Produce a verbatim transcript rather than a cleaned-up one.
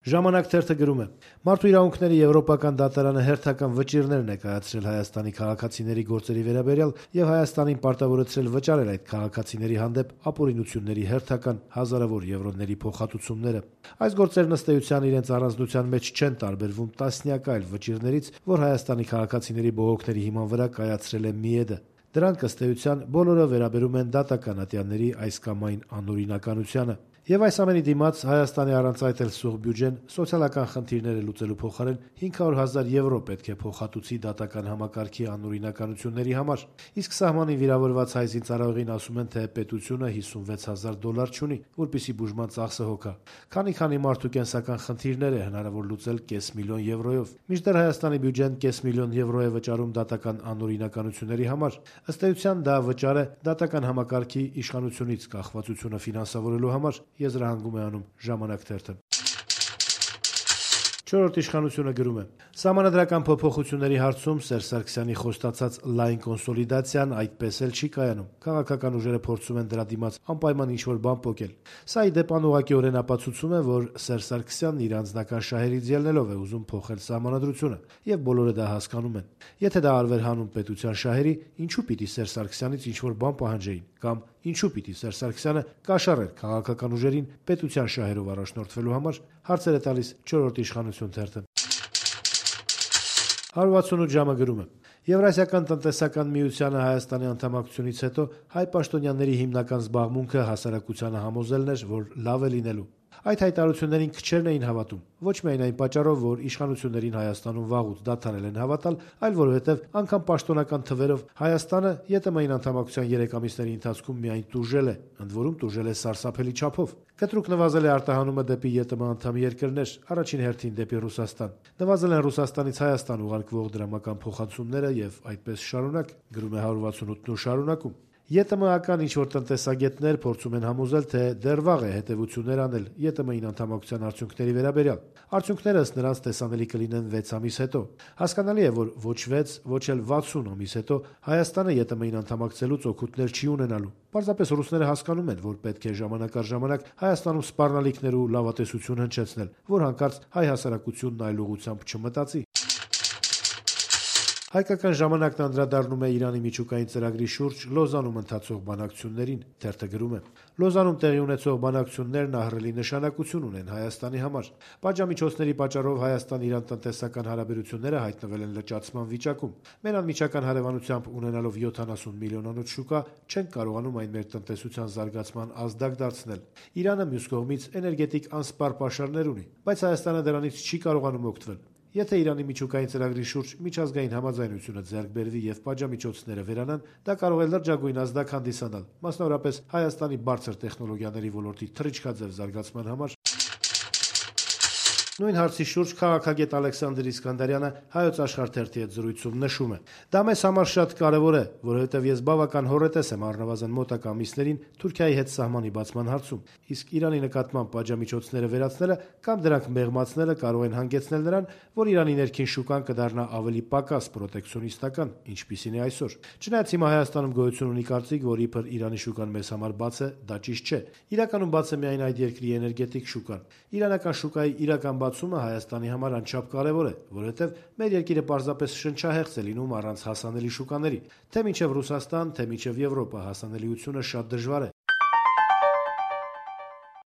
Ժամանակ թերթը գրում է. Մարդու իրավունքների եվրոպական դատարանը հերթական վճիռներ ներկայացրել Հայաստանի քաղաքացիների գործերի վերաբերյալ եւ Հայաստանին պարտավորեցրել վճարել այդ քաղաքացիների հանդեպ ապօրինությունների հերթական հազարավոր եվրոների փոխհատուցումները։ Այս գործերն ըստ էության իրենց առանձնության մեջ չեն տարբերվում տասնյակ այլ վճիռներից, որ Հայաստանի քաղաքացիների բողոքների հիման վրա կայացրել է ՄԻԵԴ-ը։ Դրանք ըստ էության բոլորը վերաբերում են դատական ատյանների այս կամ այն անօրինականությանը։ Եվ այս ամենի դիմաց Հայաստանի առանց այդ էլ սուղ բյուջեն սոցիալական խնդիրները լուծելու փոխարեն հինգ հարյուր հազար եվրո պետք է փոխհատուցի դատական համակարգի անօրինականությունների համար։ Իսկ սահմանին վիրավորված հայ զինծառայողին ասում են, թե պետությունը հիսունվեց հազար դոլար չունի, որպեսզի բուժման ծախսը հոգա։ Քանի-քանի մարդու կենսական խնդիրներ է հնարավոր լուծել կես միլիոն եվրոյով։ Մինչդեռ Հայաստանի բյուջեն կես միլիոն եվրո է վճարում դատական անօրինականությունների համար։ Ըստ էության դա վճար է դատական համակարգի իշխանությունից կախվածությունը ֆինանսավորելու համար, եզրահանգում է անում Ժամանակ թերթը։ Չորրորդ իշխանությունը գրում է. Սահմանադրական փոփոխությունների հարցում Սերժ Սարգսյանի խոստացած լայն կոնսոլիդացիան այդպես էլ չի կայանում։ Քաղաքական ուժերը փորձում են դրա դիմաց անպայման ինչ-որ բան պոկել։ Սա ի դեպ անուղղակիորեն ապացուցում է, որ Սերժ Սարգսյանն իր անձնական շահերից ելնելով է ուզում փոխել սահմանադրությունը, եւ բոլորը դա հասկանում են։ Եթե դա արվեր հանուն պետության շահերի, ինչու պիտի Սերժ Սարգսյանից ինչ-որ բան պահանջեին, կամ ինչու պիտի Սերժ Սարգսյանը կաշառեր քաղաքական ուժերին պետության շահերով առաջնորդվելու համար, հարցեր է տալիս Չորրորդ իշխանություն թերթը։ հարյուր վաթսունութ ժամը գրում է. Եվրասիական տնտեսական միությանը Հայաստանի անդամակցությունից հետո հայ պաշտոնյաների հիմնական զբաղմունքը հասարակությանը համոզելն էր, որ լավ է լինելու։ Այդ հայտարարություններին քչերն էին հավատում, ոչ միայն այն պատճառով, որ իշխանություններին Հայաստանում վաղուց դադարել են հավատալ, այլ որովհետև անգամ պաշտոնական թվերով Հայաստանը ԵՏՄ-ին անդամակցության երեք ամիսների ընթացքում միայն տուժել է, ընդ որում տուժել է սարսափելի չափով։ Կտրուկ նվազել է արտահանումը դեպի ԵՏՄ անդամ երկրներ, առաջին հերթին դեպի Ռուսաստան։ Նվազել են Ռուսաստանից Հայաստան ուղարկվող դրամական փոխհատուցումները եւ այդպես շարունակ, գրում է հարյուր վաթսունութն ու շարունակում։ ԵՏՄ-ական ինչ-որ տնտեսագետներ փորձում են համոզել, թե դեռ վաղ է հետևություններ անել ԵՏՄ-ին անդամակցության արդյունքների վերաբերյալ։ Արդյունքները ըստ նրանց տեսանելի կլինեն վեց ամիս հետո։ Հասկանալի է, որ ոչ վեց, ոչ էլ վաթսուն ամիս հետո Հայաստանը ԵՏՄ-ին անդամակցելուց օգուտներ չի ունենալու։ Պարզապես ռուսները հասկանում են, որ պետք է ժամանակ առ ժամանակ Հայաստանում սպառնալիքներ ու լավատեսություն հնչեցնել, որ հանկարծ հայ հասարակությունն այլ ուղղությամբ չմտածի։ Հայկական ժամանակն անդրադառնում է Իրանի միջուկային ծրագրի շուրջ Լոզանում ընթացող բանակցություններին, թերթը գրում է. Լոզանում տեղի ունեցող բանակցություններն ահռելի նշանակություն ունեն Հայաստանի համար։ Պատժամիջոցների պատճառով Հայաստան-Իրան տնտեսական հարաբերությունները հայտնվել են լճացման վիճակում։ Մեր անմիջական հարևանությամբ ունենալով յոթանասուն միլիոնանոց շուկա, չենք կարողանում այն մեր տնտեսության զարգացման ազդակ դարձնել։ Իրանը մյուս կողմից էներգետիկ անսպառ պաշարներ ունի, բայց Հայաստանը դրանից չի կարողանում օգտվել։ Եթե Իրանի միջուկային ծրագրի շուրջ միջազգային համաձայնությունը ձեռք բերվի եւ պատժամիջոցները վերանան, դա կարող է լրջագույն ազդակ հանդիսանալ, մասնավորապես Հայաստանի բարձր տեխնոլոգիաների ոլորտի թռիչքաձև զարգացման համար։ Նույն հարցի շուրջ քաղաքագետ Ալեքսանդր Իսկանդարյանը Հայոց Աշխարհ թերթի հետ զրույցում նշում է. Դա մեզ համար շատ կարևոր է, որովհետև ես բավական հոռետես եմ առնվազն մոտակա ամիսներին Թուրքիայի հետ սահմանի բացման հարցում, իսկ Իրանի նկատմամբ պատժամիջոցները վերացնելը կամ դրանք մեղմացնելը կարող են հանգեցնել նրան, որ Իրանի ներքին շուկան կդառնա ավելի պակաս պրոտեկցիոնիստական, ինչպիսին է այսօր։ Չնայած հիմա Հայաստանում գոյություն ունի կարծիք, որ իբր Իրանի շուկան մեզ համար բաց է, դա ճիշտ չէ։ Իրականում բաց է միայն այդ երկրի էներգետիկ շուկան։ Իրանական շուկայի իրական բացումը Հայաստանի համար անչափ կարևոր է, որովհետև մեր երկիրը պարզապես շնչահեղձ է լինում առանց հասանելի շուկաների։ Թե մինչև Ռուսաստան, թե մինչև Եվրոպա հասանելիությունը շատ դժվար է։